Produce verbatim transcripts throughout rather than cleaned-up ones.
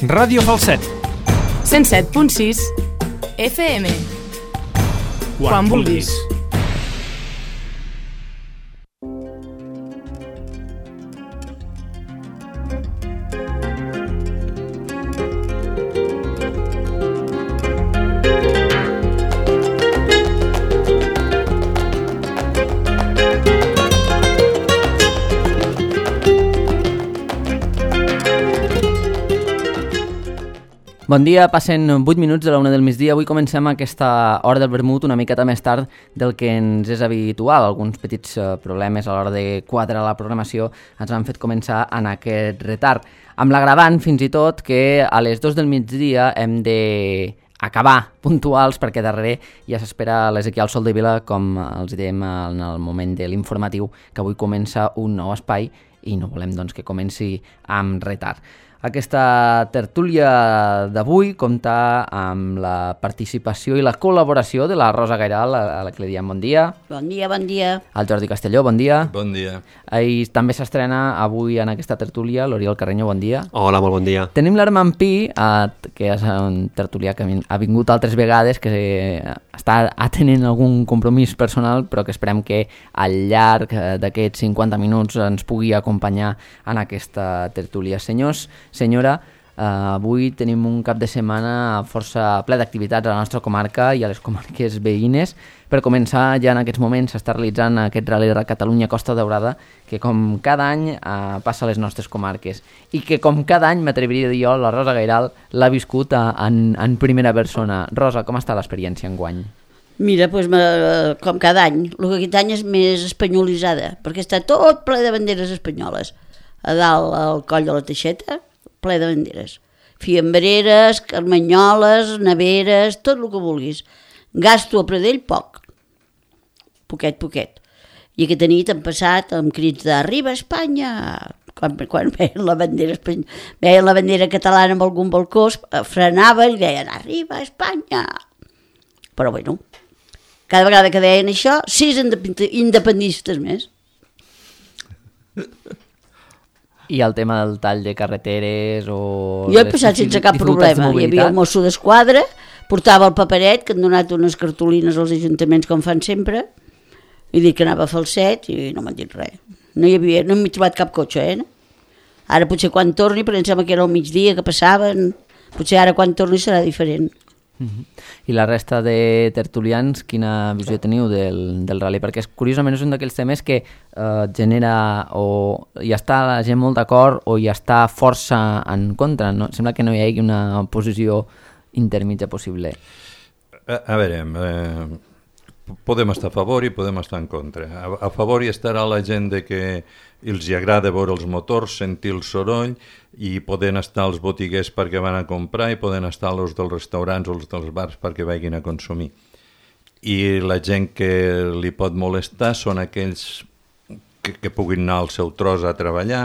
Ràdio Falset. cent set punt sis F M. Quan, Quan vulguis. Bon dia, passen vuit minuts de la una del migdia. Avui comencem aquesta hora del vermut una miqueta més tard del que ens és habitual. Alguns petits problemes a l'hora de quadrar la programació ens han fet començar en aquest retard. Amb l'agravant, fins i tot, que a les dos del migdia hem d'acabar puntuals perquè darrere ja s'espera l'Ezequiel Soldevila, com els dèiem en el moment de l'informatiu, que avui comença un nou espai i no volem doncs, que comenci amb retard. Aquesta tertúlia d'avui compta amb la participació i la col·laboració de la Rosa Gairal, a la que li diem bon dia. Bon dia, bon dia. El Jordi Castelló, bon dia. Bon dia. I també s'estrena avui en aquesta tertúlia l'Oriol Carreño, bon dia. Hola, molt bon dia. Tenim l'Armand Pi, que és un tertulià que ha vingut altres vegades, que està atenent algun compromís personal, però que esperem que al llarg d'aquests cinquanta minuts ens pugui acompanyar en aquesta tertúlia. Senyors, senyora, uh, avui tenim un cap de setmana força ple d'activitats a la nostra comarca i a les comarques veïnes. Per començar, ja en aquests moments s'està realitzant aquest Rally de Catalunya Costa Daurada, que com cada any uh, passa a les nostres comarques i que com cada any, m'atreviria a dir jo, la Rosa Gairal l'ha viscut a, en, en primera persona. Rosa, com està l'experiència enguany? Mira, doncs, com cada any, el que aquest any és més espanyolitzada, perquè està tot ple de banderes espanyoles. A dalt, al coll de la Teixeta, ple de banderes. Fiambreres, carmanyoles, neveres, tot el que vulguis. Gasto a Pradell poc. Poquet, poquet. I aquesta nit han passat amb crits d'Arriba Espanya. Quan, quan veien la bandera espany... veien la bandera catalana amb algun balcó, frenaven i deien Arriba Espanya. Però bueno, cada vegada que deien això, sis independistes més. I el tema del tall de carreteres o... Jo he passat sense cap problema. Hi havia el mosso d'esquadra, portava el paperet, que han donat unes cartolines als ajuntaments com fan sempre, i dic que anava a Falset i no m'han dit res. No hi havia, no m'he trobat cap cotxe, eh? Ara potser quan torni, però em sembla que era al migdia que passaven, potser ara quan torni serà diferent. Uh-huh. I la resta de tertulians, quina visió teniu del, del rally? Perquè és, curiosament és un d'aquells temes que eh, genera o hi està la gent molt d'acord o hi està força en contra. No? Sembla que no hi hagi una posició intermitja possible. A, a veure, eh, podem estar a favor i podem estar en contra. A, a favor hi estarà la gent de que els hi agrada veure els motors, sentir el soroll, i poden estar els botiguers perquè van a comprar i poden estar els dels restaurants o els dels bars perquè vagin a consumir. I la gent que li pot molestar són aquells que, que puguin anar al seu tros a treballar,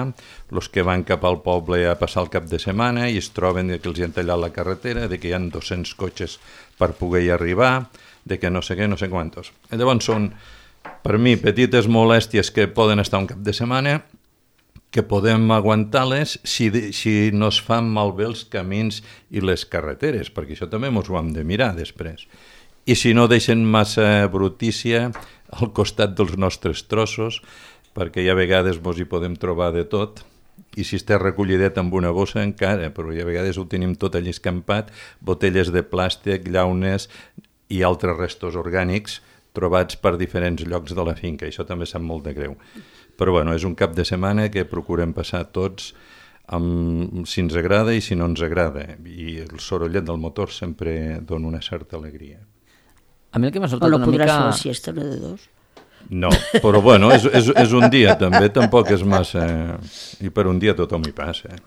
els que van cap al poble a passar el cap de setmana i es troben que els hi han tallat la carretera, de que hi ha dos-cents cotxes per poder-hi arribar, de que no sé què, no sé quantos. I llavors són, per mi, petites molèsties que poden estar un cap de setmana, que podem aguantar-les si, si no es fan malbé els camins i les carreteres, perquè això també ens ho hem de mirar després. I si no deixen massa brutícia al costat dels nostres trossos, perquè hi ha vegades ens hi podem trobar de tot, i si està recollidet amb una bossa encara, però hi ha vegades ho tenim tot allà escampat, botelles de plàstic, llaunes i altres restos orgànics trobats per diferents llocs de la finca. Això també sap molt de greu. Però bueno, és un cap de setmana que procurem passar tots amb, si ens agrada i si no ens agrada. I el sorollet del motor sempre dona una certa alegria. A mi el que m'ha sobtat no una mica... podràs fer la siesta, no de dos? No, però bueno, és, és, és un dia també, tampoc és massa... I per un dia tothom hi passa.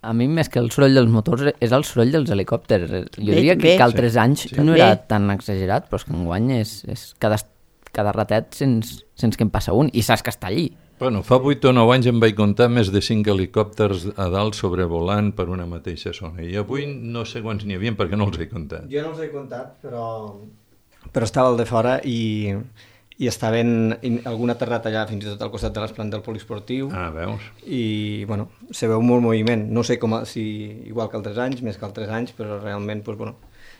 A mi, més que el soroll dels motors, és el soroll dels helicòpters. Jo bé, diria bé. que altres anys sí. no era tan exagerat, però és que enguany és, és cada, cada ratet sense, sense que en passa un, i saps que està allí. Bueno, fa vuit o nou anys em vaig comptar més de cinc helicòpters a dalt sobrevolant per una mateixa zona. I avui no sé quants n'hi havia perquè no els he comptat. Jo no els he comptat, però, però estava al de fora i, i estaven in, algun aterrat allà fins i tot al costat de l'esplant del poliesportiu. Ah, veus? I, bueno, se veu molt moviment. No sé com, si igual que altres anys, més que altres anys, però realment, doncs, bueno,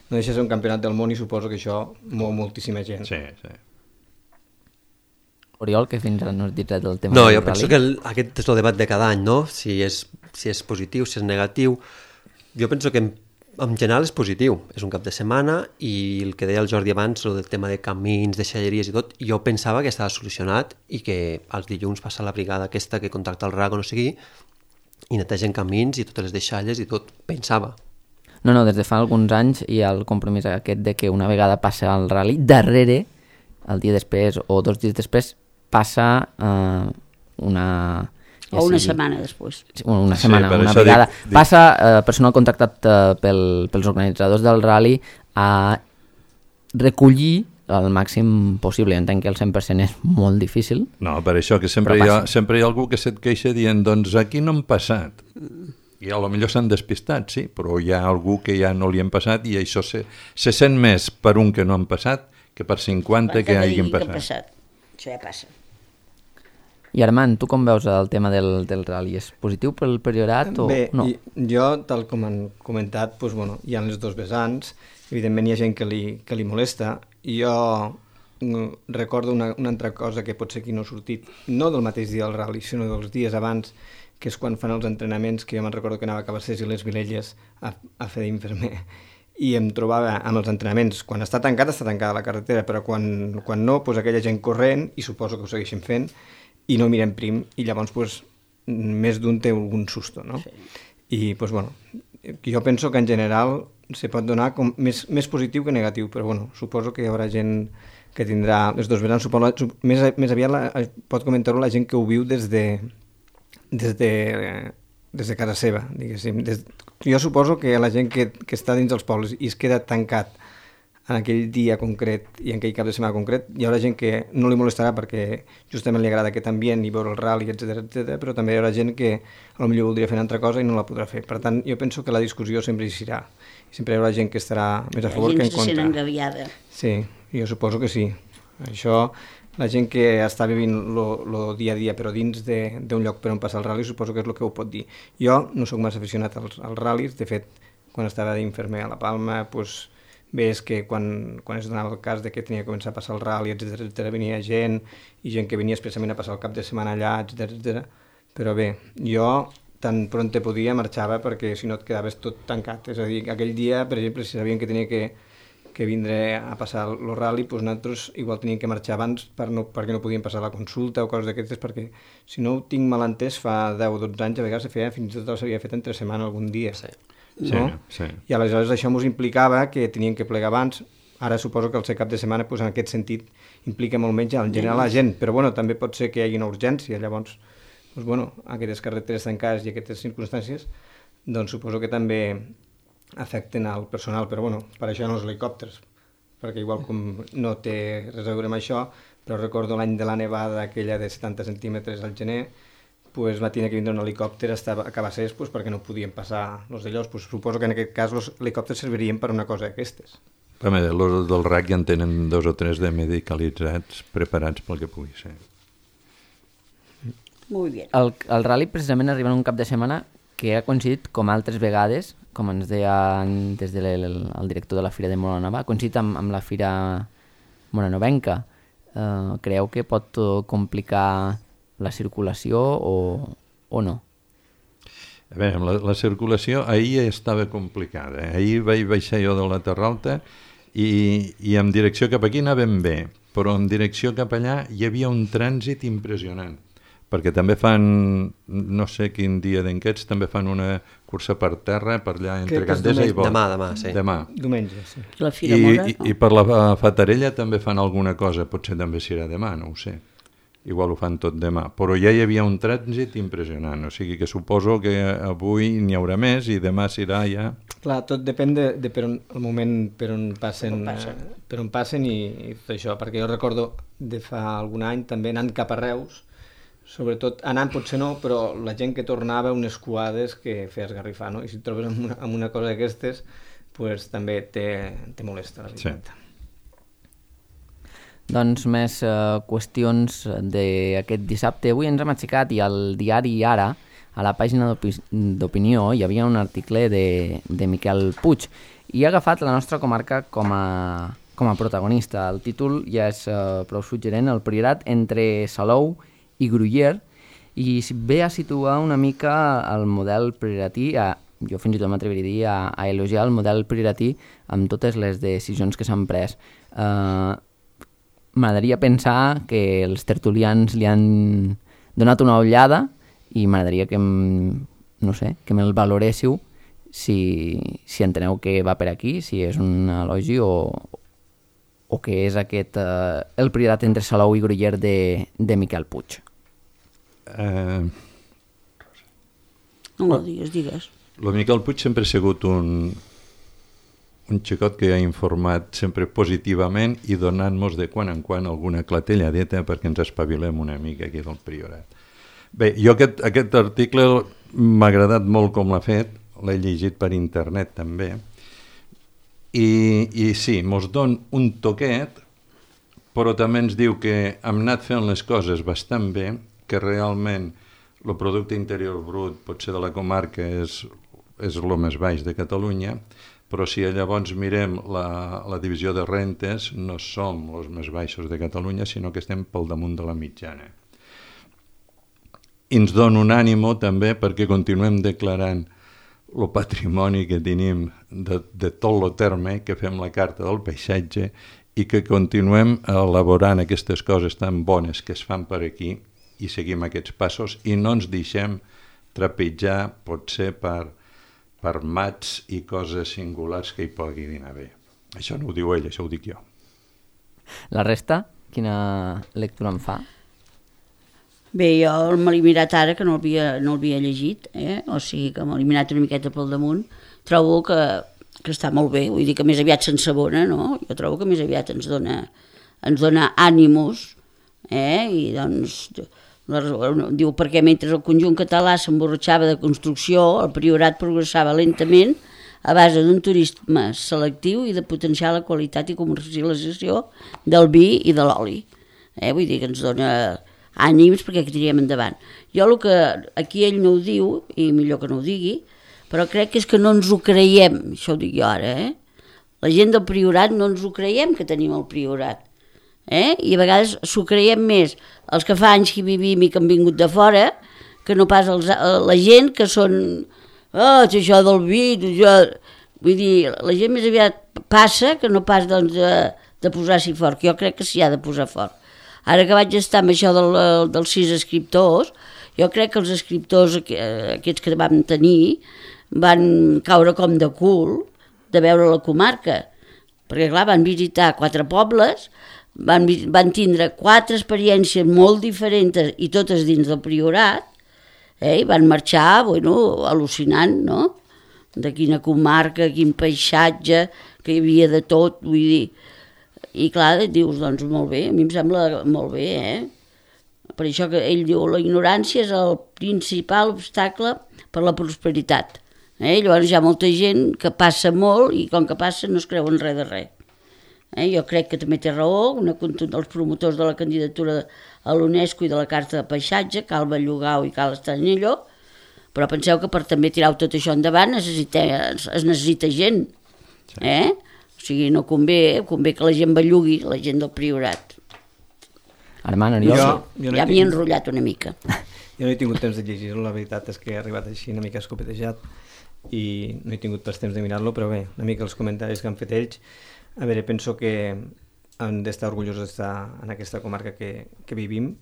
no deixa de ser un campionat del món i suposo que això mou moltíssima gent. Sí, sí. Oriol, que fins ara no has dit res del tema no, del jo penso rally. que el, aquest és el debat de cada any, no? Si és, si és positiu, si és negatiu. Jo penso que en, en general és positiu. És un cap de setmana i el que deia el Jordi abans, el del tema de camins, de xalleries i tot, jo pensava que estava solucionat i que els dilluns passa la brigada aquesta que contacta el R A C o no sé qui i netegen camins i totes les deixalles i tot. Pensava. No, no, des de fa alguns anys hi ha el compromís aquest de que una vegada passa el rally, darrere, el dia després o dos dies després, passa eh, una... Ja o una sigui, setmana després. Una Sí, setmana, per una això vegada. dic- dic- Passa eh, personal contractat eh, pel, pels organitzadors del rally a recollir el màxim possible. Jo entenc que el cent per cent és molt difícil. No, per això que sempre, Però hi ha, passa. sempre hi ha algú que se't queixa dient doncs aquí no han passat. I a lo millor s'han despistat, sí, però hi ha algú que ja no li han passat i això se, se sent més per un que no han passat que per cinquanta que hagin Que ha passat. passat. Això ja passa. I Armand, tu com veus el tema del, del rally? És positiu pel Priorat o Bé, no? i, jo, tal com han comentat, doncs, bueno, hi ha les dos vessants, evidentment hi ha gent que li, que li molesta, i jo mm, recordo una, una altra cosa que potser aquí no ha sortit, no del mateix dia del rally, sinó dels dies abans, que és quan fan els entrenaments, que jo me'n recordo que anava a Cabassers i les Vilelles a, a fer d'infermer, i em trobava amb els entrenaments, quan està tancat, està tancada la carretera, però quan, quan no, doncs aquella gent corrent, i suposo que ho segueixen fent, i no mirem prim, i llavors doncs, més d'un té algun susto, no? Sí. I doncs, bueno, jo penso que en general se pot donar com més, més positiu que negatiu, però bueno, suposo que hi haurà gent que tindrà les dos vessants, suposo, més, més aviat la, pot comentar-ho la gent que ho viu des de, des de, des de casa seva, diguéssim. Des, jo suposo que la gent que, que està dins dels pobles i es queda tancat en aquell dia concret i en aquell cap de setmana concret, hi haurà gent que no li molestarà perquè justament li agrada aquest ambient i veure el rally, etcètera, etcètera, però també hi haurà gent que potser voldria fer una altra cosa i no la podrà fer. Per tant, jo penso que la discussió sempre hi serà. Sempre hi haurà gent que estarà més a favor que en La gent se sent contra. engaviada. Sí, jo suposo que sí. Això, la gent que està vivint el dia a dia però dins d'un lloc per on passar el rally, suposo que és el que ho pot dir. Jo no sóc massa aficionat als, als ral·lis, de fet, quan estava d'infermer a La Palma, doncs, bé, és que quan, quan es donava el cas de que tenia que començar a passar el rally, etcètera, etcètera, venia gent, i gent que venia expressament a passar el cap de setmana allà, etcètera, etcètera. Però bé, jo tan pront te podia marxava perquè si no et quedaves tot tancat. És a dir, aquell dia, per exemple, si sabien que tenia que, que vindre a passar el rally, doncs nosaltres igual teníem que marxar abans per no, perquè no podíem passar la consulta o coses d'aquestes, perquè si no ho tinc mal entès, fa deu o dotze anys a vegades se feia, fins i tot s'havia fet entre setmana algun dia. Sí. No? Sí, sí. I aleshores això ens implicava que tenien que plegar abans. Ara suposo que el ser cap de setmana doncs, en aquest sentit implica molt menys en general la gent, però bueno, també pot ser que hi hagi una urgència, llavors doncs, bueno, aquestes carreteres tancades i aquestes circumstàncies doncs suposo que també afecten al personal, però bueno, per això no els helicòpters, perquè igual com no té res a veure amb això, però recordo l'any de la nevada aquella de setanta centímetres al gener, pues va tenir que vindre un helicòpter a Cabassers pues, perquè no podien passar els d'allòs. Pues, suposo que en aquest cas els helicòpters servirien per una cosa d'aquestes. Home, els del R A C ja en tenen dos o tres de medicalitzats preparats pel que pugui ser. Molt bé. El, el rally precisament arriba en un cap de setmana que ha coincidit com altres vegades, com ens deia des del de el director de la Fira de Molanova, ha coincidit amb, amb la Fira Monanovenca. Eh, creieu que pot complicar la circulació o, o no? A veure, la, la circulació ahir estava complicada. Ahir vaig baixar jo de la Terra Alta i, i en direcció cap aquí anàvem bé, però en direcció cap allà hi havia un trànsit impressionant, perquè també fan, no sé quin dia d'enquests, també fan una cursa per terra, per allà entre Crec que és Gandesa i diumenge. Bot. Demà, demà, sí. Demà. Diumenge, sí. La Fira I, Mora, i, no? I per la Fatarella també fan alguna cosa, potser també serà demà, no ho sé. Igual ho fan tot demà, però ja hi havia un trànsit impressionant, o sigui que suposo que avui n'hi haurà més i demà serà ja... Clar, tot depèn de, de per on, el moment per on passen, Per on passen. eh, per on passen i, i tot això, perquè jo recordo de fa algun any també anant cap a Reus, sobretot anant potser no, però la gent que tornava unes cuades que feia esgarrifar, no? I si et trobes amb una, amb una cosa d'aquestes, pues, també te, te molesta, la veritat. Sí. Doncs més eh, qüestions d'aquest dissabte. Avui ens hem aixecat i al diari Ara, a la pàgina d'opinió, hi havia un article de, de Miquel Puig i ha agafat la nostra comarca com a, com a protagonista. El títol ja és eh, prou suggerent, el Priorat entre Salou i Gruyère, i ve a situar una mica el model prioratí, a, jo fins i tot m'atreviria a dir, a, a elogiar el model prioratí amb totes les decisions que s'han pres. Eh, m'agradaria pensar que els tertulians li han donat una ullada i m'agradaria que, no sé, que me'l valoréssiu si, si enteneu que va per aquí, si és un elogi o, o que és aquest, eh, el Priorat entre Salou i Gruyère de, de Miquel Puig. Eh... No, digues, digues. El Miquel Puig sempre ha sigut un, un xicot que ha informat sempre positivament i donant-nos de quan en quan alguna clatelladeta perquè ens espavilem una mica aquí del Priorat. Bé, jo aquest, aquest article m'ha agradat molt com l'ha fet, l'he llegit per internet també, i, i sí, mos don un toquet, però també ens diu que hem anat fent les coses bastant bé, que realment el producte interior brut potser de la comarca és, és el més baix de Catalunya, però si llavors mirem la, la divisió de rentes, no som els més baixos de Catalunya, sinó que estem pel damunt de la mitjana. I ens dona un ànimo també perquè continuem declarant el patrimoni que tenim de, de tot el terme, que fem la carta del paisatge i que continuem elaborant aquestes coses tan bones que es fan per aquí i seguim aquests passos i no ens deixem trepitjar potser per, per mats i coses singulars que hi puguin haver. Això no ho diu ell, això ho dic jo. La resta, quina lectura en fa? Bé, jo me l'he mirat ara, que no l'havia no l'havia llegit, eh? O sigui que me l'he mirat una miqueta pel damunt. Trobo que, que està molt bé, vull dir que més aviat s'ensabona, no? Jo trobo que més aviat ens dona, ens dona ànimos, eh? I doncs, la, diu, perquè mentre el conjunt català s'emborratxava de construcció, el Priorat progressava lentament a base d'un turisme selectiu i de potenciar la qualitat i comercialització del vi i de l'oli. Eh? Vull dir que ens dona ànims perquè que tirem endavant. Jo el que aquí ell no ho diu, i millor que no ho digui, però crec que és que no ens ho creiem, això ho dic jo ara, eh? La gent del Priorat no ens ho creiem que tenim el Priorat, eh? I a vegades s'ho creiem més els que fa anys que vivim i que han vingut de fora, que no pas els, la gent que són, oh, això del vi, això... Vull dir, la gent més aviat passa que no pas doncs, de, de posar-s'hi fort, que jo crec que s'hi ha de posar fort. Ara que vaig estar amb això del, dels sis escriptors, jo crec que els escriptors aquests que vam tenir van caure com de cul de veure la comarca, perquè clar, van visitar quatre pobles, van, van tindre quatre experiències molt diferents i totes dins del Priorat, eh, i van marxar, bueno, al·lucinant, no?, de quina comarca, quin paisatge, que hi havia de tot, vull dir. I clar, dius, doncs molt bé, a mi em sembla molt bé, eh? Per això que ell diu, la ignorància és el principal obstacle per la prosperitat. Eh? Llavors hi ha molta gent que passa molt i com que passa no es creuen res de res. Eh? Jo crec que també té raó, una conjunt dels promotors de la candidatura a l'UNESCO i de la Carta de Paisatge, cal Bellugau i cal Estanyelló, però penseu que per també tirar tot això endavant necessita, es necessita gent, eh? O sigui, no convé, convé que la gent bellugui, la gent del Priorat. Armand, Oriol... Jo, jo no ja m'hi he enrotllat una mica. Jo no he tingut temps de llegir-lo, la veritat és que he arribat així una mica escopetejat i no he tingut pas temps de mirar-lo, però bé, una mica els comentaris que han fet ells. A veure, penso que hem d'estar orgullosos d'estar en aquesta comarca que, que vivim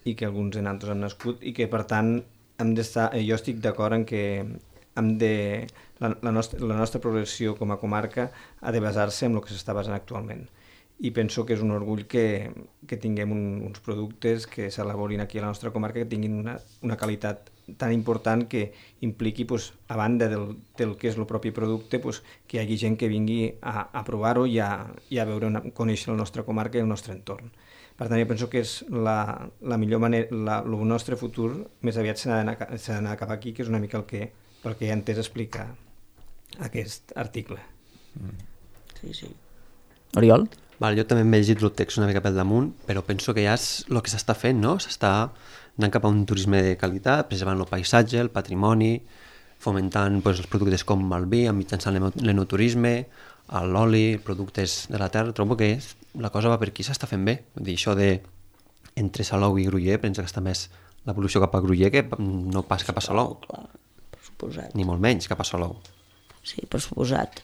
i que alguns en altres han nascut i que, per tant, hem d'estar... Jo estic d'acord en que hem de... La, la, nostra, la nostra progressió com a comarca ha de basar-se en el que s'està basant actualment. I penso que és un orgull que, que tinguem un, uns productes que s'elaborin aquí a la nostra comarca, que tinguin una, una qualitat tan important que impliqui, pues, a banda del, del que és el propi producte, pues, que hi hagi gent que vingui a, a provar-ho i a, i a veure una, conèixer la nostra comarca i el nostre entorn. Per tant, jo penso que és la, la millor manera, la, el nostre futur més aviat s'ha d'anar cap aquí, que és una mica el que, pel que he entès explicar aquest article. Sí, sí. Oriol? Vale, jo també m'he llegit el text una mica pel damunt, però penso que ja és el que s'està fent, no? S'està anant cap a un turisme de qualitat, preservant el paisatge, el patrimoni, fomentant pues, els productes com el vi, mitjançant l'enoturisme, l'oli, productes de la terra. Trobo que la cosa va per aquí, s'està fent bé. Vull dir, això de entre Salou i Groller, penso que està més l'evolució cap a Groller que no pas cap a Salou. Clar, per suposat. Ni molt menys cap a Salou. Sí, per suposat.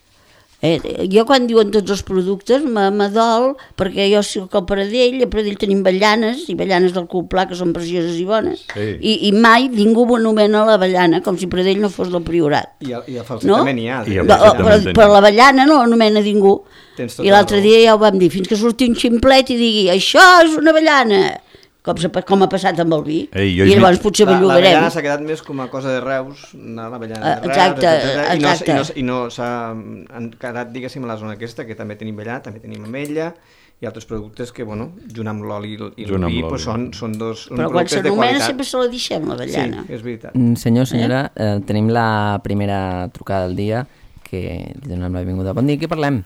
Eh, jo quan diuen tots els productes m'adol, perquè jo soc al Pradell, a Pradell tenim avellanes, i avellanes del Coplà, que són precioses i bones, sí. I, i mai ningú anomena l'avellana com si Pradell no fos del Priorat. I a, i a Falset no? també n'hi ha. I a No, Falset però, també però l'avellana no l'anomena ningú. Tens tota I l'altre la raó. dia ja ho vam dir, fins que surti un ximplet i digui això és una avellana, com, com ha passat amb el vi. Ei, jo I he llavors vist- potser La- bellugarem. L'avellana s'ha quedat més com a cosa de Reus, anar a l'avellana de Eh, Reus, exacte, etcètera, i no, exacte. i no, i no s'ha encarat, diguéssim, a la zona aquesta, que també tenim avellana, també tenim ametlla, i altres productes que, bueno, junt amb l'oli i el i el Junt amb vi, l'oli. pues, són, són dos Però quan productes de s'anomena qualitat. sempre se la deixem, l'avellana. Sí, és veritat. Mm, Senyor, senyora, eh, tenim la primera trucada del dia, que li donem la benvinguda. Bon dia, què parlem?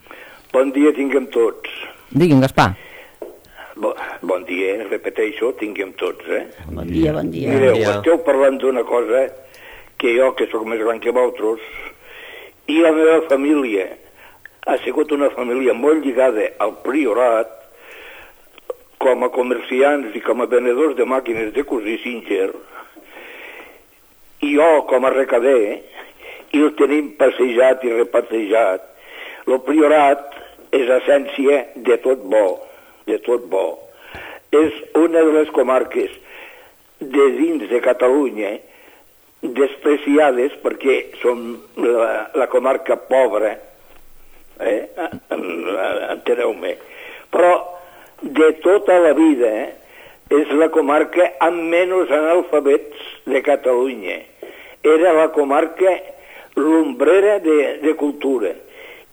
Bon dia tinguem tots. Digui'm, Gaspar. Bo, bon dia, eh? Repeteixo, tinguem tots, eh? Bon dia, bon dia. Mireu, dia. esteu parlant d'una cosa que jo, que sóc més gran que vosaltres, i la meva família ha sigut una família molt lligada al Priorat, com a comerciants i com a venedors de màquines de cosir Singer, i jo, com a recader, i el tenim passejat i repassejat. El Priorat és essència de tot bo, de tot bo. És una de les comarques de dins de Catalunya despreciades perquè som la, la comarca pobra, eh? Enteneu-me. Però de tota la vida eh, és la comarca amb menys analfabets de Catalunya. Era la comarca l'ombrera de, de cultura.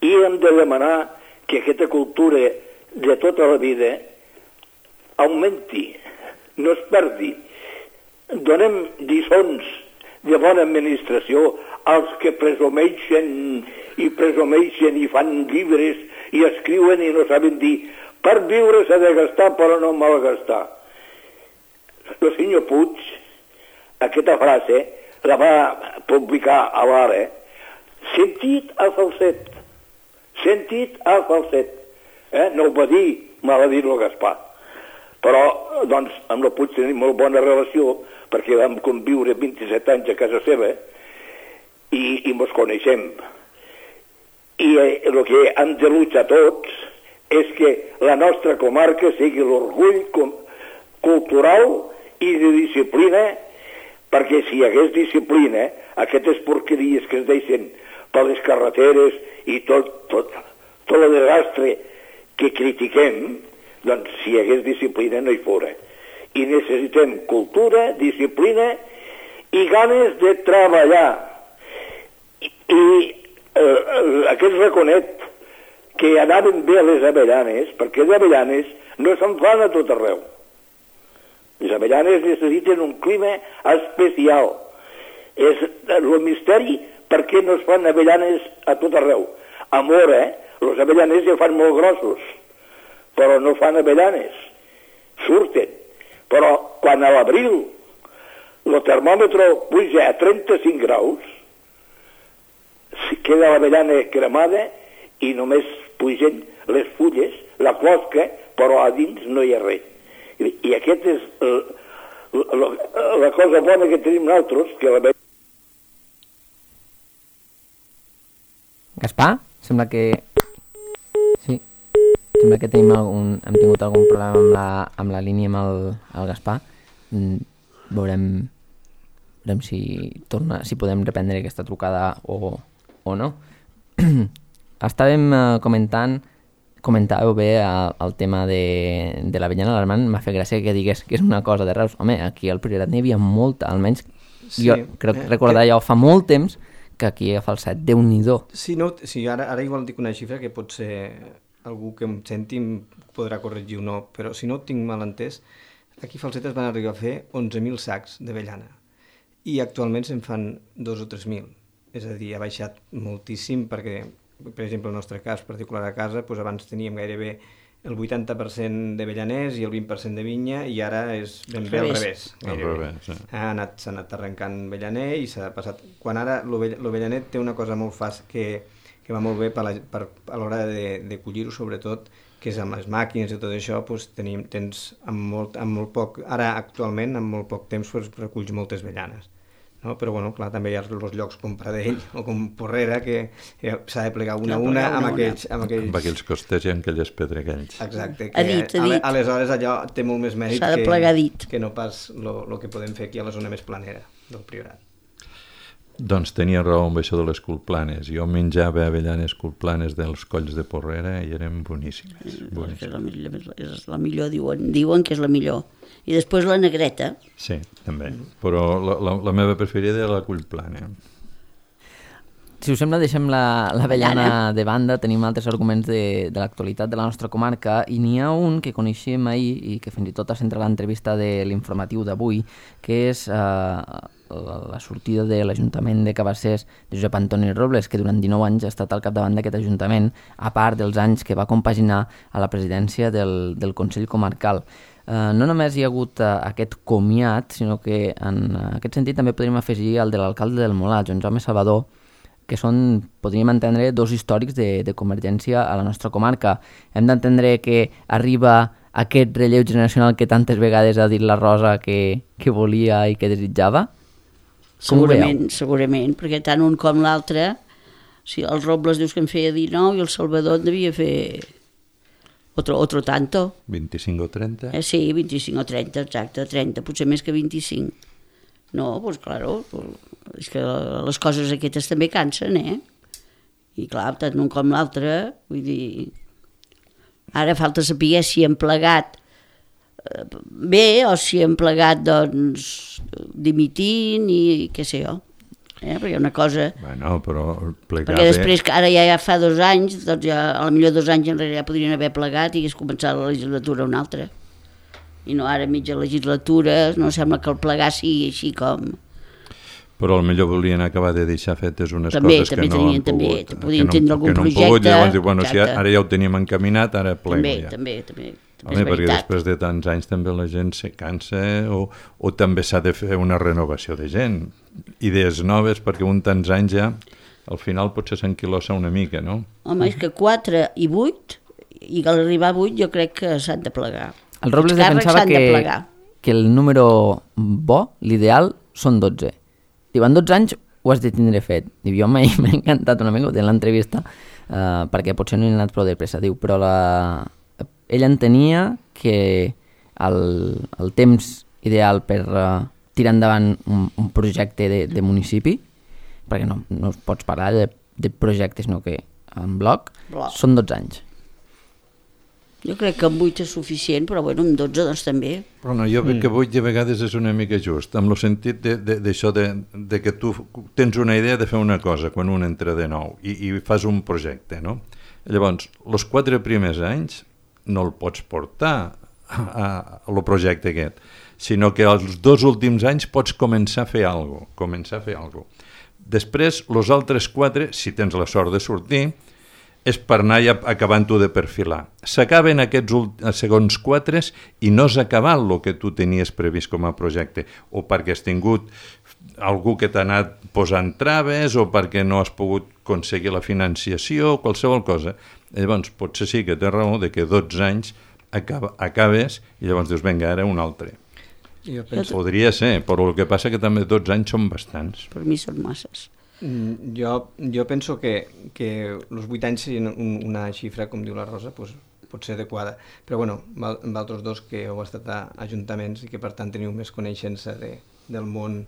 I hem de demanar que aquesta cultura de tota la vida augmenti, no es perdi. Donem lliçons de bona administració als que presumeixen i presumeixen i fan llibres i escriuen i no saben dir per viure s'ha de gastar però no malgastar. El senyor Puig, aquesta frase la va publicar a l'Ara, sentit a falset, sentit a falset. Eh? No ho va dir, me l'ha dit el Gaspar. Però, doncs, amb el Puig tenim molt bona relació, perquè vam conviure vint-i-set anys a casa seva i, i mos coneixem. I eh, el que hem de luchar tots és que la nostra comarca sigui l'orgull cultural i de disciplina, perquè si hi hagués disciplina, aquestes porqueries que es deixen per les carreteres i tot, tot, tot el desastre que critiquem, doncs si hi hagués disciplina no hi fora. I necessitem cultura, disciplina i ganes de treballar. I, i eh, aquest raconet que anaven bé a les avellanes, perquè les avellanes no se'n fan a tot arreu. Les avellanes necessiten un clima especial. És el misteri per què no es fan avellanes a tot arreu. A Mora, els avellanes ja fan molt grossos, però no fan avellanes. Surten. Però quan a l'abril el termòmetre puja a trenta-cinc graus, queda l'avellana cremada i només pugen les fulles, la closca, però a dins no hi ha res. I, i aquest és el, la, la cosa bona que tenim nosaltres, que la Gaspar, sembla que... Sí, sembla que tenim algun... hem tingut algun problema amb la, amb la línia amb el, el Gaspar. Mm, veurem, veurem si torna, si podem reprendre aquesta trucada o, o no. Estàvem eh, comentant, comentàveu bé el, el tema de, de l'avellana. L'Armand m'ha fet gràcia que digués que és una cosa de Reus. Home, aquí al Priorat n'hi havia molta, almenys Sí, jo crec eh, recordar que- ja fa molt temps que aquí a Falset, Déu-n'hi-do. Sí, no, sí ara, ara igual dic una xifra que pot ser algú que em senti em podrà corregir o no, però si no ho tinc mal entès, aquí a Falset es van arribar a fer onze mil sacs d'avellana i actualment se'n fan dos o tres mil. És a dir, ha baixat moltíssim perquè per exemple, el nostre cas particular a casa, doncs abans teníem gairebé el vuitanta per cent d'avellaners i el vint per cent de vinya, i ara és ben bé al revés. Al revés, sí. Ha anat, s'ha anat arrencant avellaner i s'ha passat... Quan ara l'avellaner té una cosa molt fàcil que, que va molt bé per la, per, a l'hora de, de collir-ho, sobretot, que és amb les màquines i tot això, doncs tenim, tens amb molt, amb molt poc... Ara, actualment, amb molt poc temps, doncs, reculls moltes avellanes. No? Però bueno, clar, també hi ha els llocs com Pradell o com Porrera que s'ha de plegar una a una, una amb, aquells, amb aquells... Amb aquells costers i amb aquelles pedregalls. Exacte, que dit, dit. aleshores allò té molt més mèrit que, que no pas el que podem fer aquí a la zona més planera del Priorat. Doncs tenia raó amb això de les culplanes. Jo menjava avellanes culplanes dels colls de Porrera i eren boníssimes. boníssimes. És, la millor, és la millor, diuen, diuen que és la millor. I després la negreta. Sí, també. Però la, la, la meva preferida era la cullplana. Si us sembla, deixem l'avellana de banda, tenim altres arguments de, de l'actualitat de la nostra comarca, i n'hi ha un que coneixíem ahir i que fins i tot ha centrat l'entrevista de l'informatiu d'avui, que és eh, la, la sortida de l'Ajuntament de Cabassers de Josep Antoni Robles, que durant dinou anys ha estat al capdavant d'aquest Ajuntament, a part dels anys que va compaginar a la presidència del, del Consell Comarcal. Uh, no només hi ha hagut uh, aquest comiat, sinó que en uh, aquest sentit també podríem afegir el de l'alcalde del Molar, Joan Jaume Salvador, que són, podríem entendre, dos històrics de, de Convergència a la nostra comarca. Hem d'entendre que arriba aquest relleu generacional que tantes vegades ha dit la Rosa que, que volia i que desitjava? Segurament, segurament, perquè tant un com l'altre, si el Robles dius que en feia dinou i el Salvador en devia fer otro, otro tanto. vint-i-cinc o trenta? Eh, sí, vint-i-cinc o trenta, exacte, trenta, potser més que vint-i-cinc. No, doncs pues, claro, és que les coses aquestes també cansen, eh? I clar, tant un com l'altre, vull dir, ara falta saber si hem plegat bé o si hem plegat, doncs, dimitint i què sé jo. Eh? Perquè una cosa... Bueno, però plegar perquè després, que ara ja, ja fa dos anys, doncs ja, a la millor dos anys enrere ja podrien haver plegat i hagués començat la legislatura una altra. I no ara mitja legislatura, no sembla que el plegar sigui així com... Però potser volien acabar de deixar fetes unes també, coses també que no tenien, han també, pogut. Podien que tindre no, algun que no projecte. Pogut, llavors diu, bueno, exacte. si ara ja ho teníem encaminat, ara plego també, ja. També, també, també. Home, perquè després de tants anys també la gent se cansa o, o també s'ha de fer una renovació de gent. Idees noves, perquè un tants anys ja, al final potser s'enquilosa una mica, no? Home, és que quatre i vuit, i a l'arribar a vuit jo crec que s'han de plegar. El Robles defensava que, de que el número bo, l'ideal, són dotze. Diu, en dotze anys ho has de tindre fet. Diu, jo m'ha encantat una mica, ho té en l'entrevista, eh, perquè potser no hi ha anat prou de pressa. Diu, però la... ell entenia que el, el temps ideal per uh, tirar endavant un, un projecte de, de municipi, perquè no, no pots parlar de, de projectes, sinó que en bloc, bloc, són dotze anys. Jo crec que amb vuit és suficient, però bueno, amb dotze doncs també. Però no, jo crec mm. que vuit de vegades és una mica just, amb el sentit d'això de, de, de, de que tu tens una idea de fer una cosa quan un entra de nou i, i fas un projecte, no? Llavors, els quatre primers anys no el pots portar a, a, a lo projecte aquest, sinó que els dos últims anys pots començar a fer alguna cosa, començar a fer alguna cosa. Després, els altres quatre, si tens la sort de sortir, és per anar ja acabant-ho de perfilar. S'acaben aquests segons quatre i no has acabat el que tu tenies previst com a projecte, o perquè has tingut algú que t'ha anat posant traves, o perquè no has pogut aconseguir la financiació, qualsevol cosa. Llavors, potser sí que té raó de que dotze anys acaba, acabes i llavors dius, vinga, ara un altre. Jo penso... Podria ser, però el que passa que també dotze anys són bastants. Per mi són masses. Mm, jo, jo penso que, que els vuit anys serien un, una xifra, com diu la Rosa, pues, pot ser adequada. Però bueno, amb altres dos que heu estat a ajuntaments i que per tant teniu més coneixença de, del, món,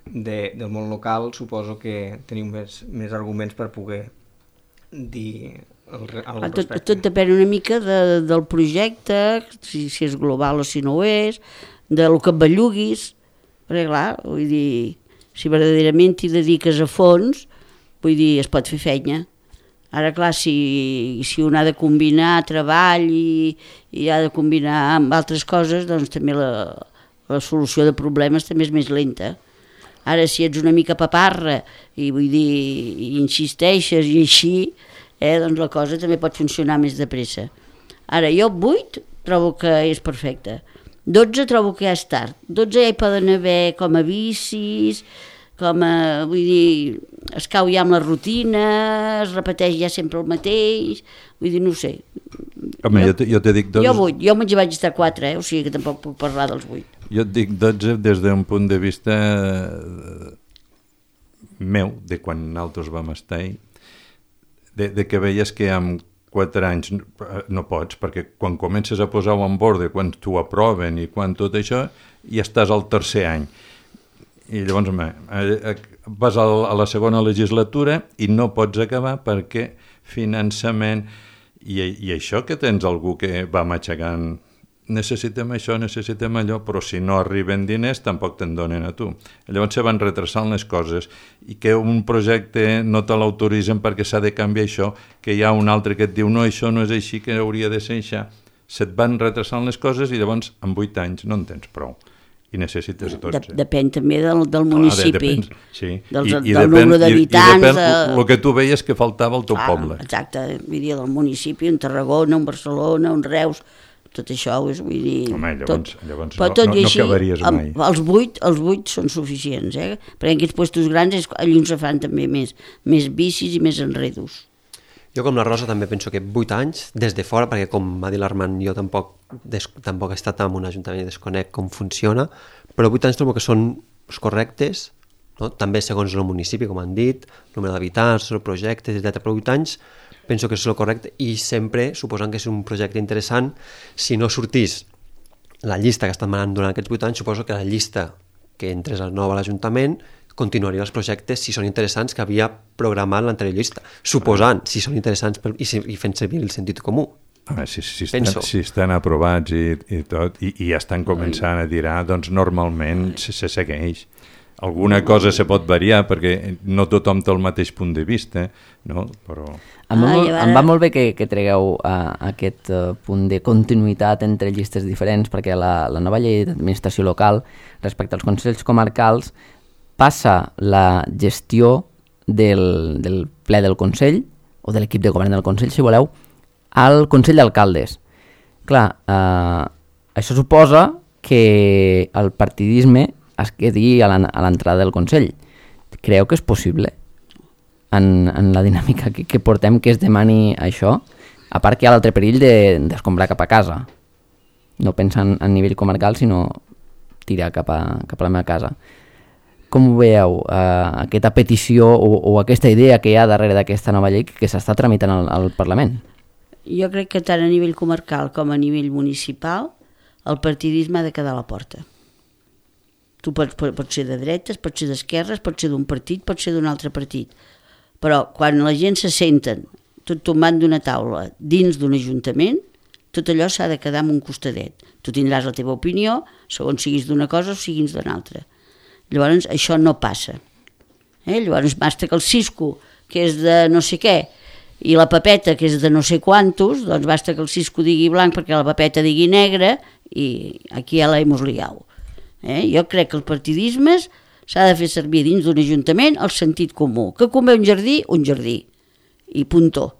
de, del món local, suposo que teniu més, més arguments per poder dir el, el tot, tot depèn una mica de, del projecte, si, si és global o si no ho és, de lo que et belluguis, perquè clar, vull dir, si verdaderament t'hi dediques a fons, vull dir, es pot fer feina. Ara, clar, si, si un ha de combinar treball i, i ha de combinar amb altres coses, doncs també la, la solució de problemes també és més lenta. Ara, si ets una mica paparra i vull dir, i insisteixes i així, eh, doncs la cosa també pot funcionar més de pressa. Ara, jo vuit trobo que és perfecte. dotze trobo que ja és tard. dotze ja hi poden haver com a vicis, com a, vull dir, es cau ja amb la rutina, es repeteix ja sempre el mateix, vull dir, no ho sé. Home, jo, jo te dic dotze... Jo vuit, jo vaig estar quatre, eh? O sigui que tampoc puc parlar dels vuit. Jo et dic dotze des d'un punt de vista meu, de quan nosaltres vam estar-hi, de, de que veies que amb quatre anys no pots, perquè quan comences a posar-ho en borde, quan t'ho aproven i quan tot això, ja estàs al tercer any. I llavors home, vas a la segona legislatura i no pots acabar perquè finançament i, i això que tens algú que va matxacant necessitem això, necessitem allò, però si no arriben diners tampoc te'n donen a tu. Llavors se van retrasant les coses i que un projecte no te l'autoritzen perquè s'ha de canviar això, que hi ha un altre que et diu no, això no és així, que hauria de ser això. Se't van retrasant les coses i llavors en vuit anys no en tens prou i necessites dotze. De, depèn també del, del municipi, ah, de, depèn, sí. del, I, i del depèn, nombre d'habitants. I, i depèn el que tu veies que faltava al teu ah, poble. Exacte, vull dir, del municipi, un Tarragona, un Barcelona, un Reus, tot això és, vull dir... Home, llavors, tot, llavors però no, tot no, i no així, acabaries mai. Amb, els vuit, els vuit són suficients, eh? Perquè en aquests puestos grans és, allí on se fan també més, més bicis i més enredos. Jo com la Rosa també penso que vuit anys des de fora, perquè com va dir l'Armand, jo tampoc, des, tampoc he estat en un ajuntament i desconec com funciona, però vuit anys trobo que són correctes, no? També segons el municipi, com han dit, número d'habitants, projectes, etcètera. Però vuit anys penso que és el correcte i sempre, suposant que és un projecte interessant, si no sortís la llista que estan manant durant aquests vuit anys, suposo que la llista que entres al nou a l'Ajuntament continuaria els projectes si són interessants que havia programat l'anterior llista, suposant si són interessants per, i, i fent servir el sentit comú. Home, si, si, estan, si estan aprovats i, i tot, i, i ja estan començant a tirar, doncs normalment se, se segueix. Alguna cosa se pot variar perquè no tothom té el mateix punt de vista, no? Però... Em va, molt, em va molt bé que, que tregueu uh, aquest uh, punt de continuïtat entre llistes diferents, perquè la, la nova llei d'administració local respecte als consells comarcals passa la gestió del, del ple del Consell, o de l'equip de govern del Consell, si voleu, al Consell d'Alcaldes. Clar, eh, això suposa que el partidisme es quedi a l'entrada del Consell. Creieu que és possible en, en la dinàmica que, que portem que es demani això? A part que hi ha l'altre perill d'escombrar de, cap a casa. No pensant a nivell comarcal, sinó tirar cap a, cap a la meva casa. Com ho veieu, eh, aquesta petició o, o aquesta idea que hi ha darrere d'aquesta nova llei que s'està tramitant al, al Parlament? Jo crec que tant a nivell comarcal com a nivell municipal el partidisme ha de quedar a la porta. Tu pots, pots ser de dretes, pots ser d'esquerres, pots ser d'un partit, pots ser d'un altre partit. Però quan la gent se senten tot tombant d'una taula dins d'un ajuntament, tot allò s'ha de quedar en un costadet. Tu tindràs la teva opinió, segons siguis d'una cosa o siguis d'una altra. Llavors això no passa. Eh? Llavors basta que el Cisco, que és de no sé què, i la Pepeta, que és de no sé quantos, doncs basta que el Cisco digui blanc perquè la Pepeta digui negre i aquí ja la hemos liado. Eh? Jo crec que el partidisme s'ha de fer servir dins d'un ajuntament el sentit comú. Que convé un jardí, un jardí. I puntó.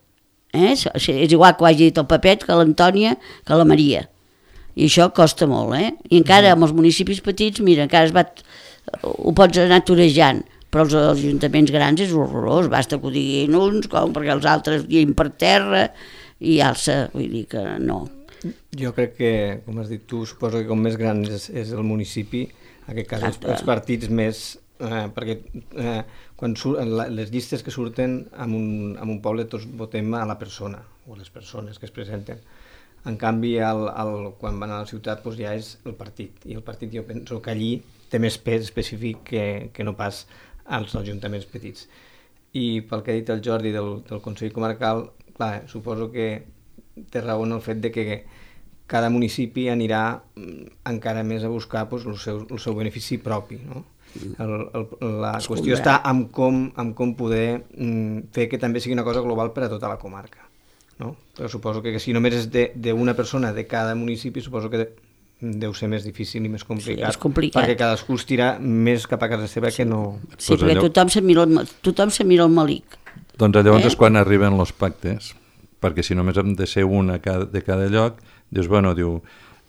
Eh? És igual que ho hagi dit el Pepet, que l'Antònia, que la Maria. I això costa molt. Eh? I encara amb els municipis petits, mira, encara es va... ho pots anar torejant, però els ajuntaments grans és horrorós, basta que ho diguin uns, com perquè els altres diguin per terra, i alça, vull dir que no. Jo crec que, com has dit tu, suposo que com més gran és, és el municipi, en aquest cas els, els partits més, eh, perquè eh, quan sur, la, les llistes que surten en un, en un poble tots votem a la persona, o les persones que es presenten. En canvi, el, el, quan van a la ciutat doncs ja és el partit, i el partit jo penso que allí té més pes específic que, que no pas als ajuntaments petits. I pel que ha dit el Jordi del, del Consell Comarcal, clar, suposo que té raó en el fet de que cada municipi anirà encara més a buscar doncs, el, seu, el seu benefici propi, no? El, el, la es qüestió està en com, en com poder mm, fer que també sigui una cosa global per a tota la comarca, no? Però suposo que, que si només és d'una persona de cada municipi, suposo que deu ser més difícil i més complicat, sí, és complicat. Perquè cadascú es tira més cap a casa seva sí. que no... Sí, pues perquè allò... tothom se mira el, tothom se mira el malic. Doncs llavors Eh? és quan arriben els pactes, perquè si només hem de ser una cada- de cada lloc, dius, bueno, diu,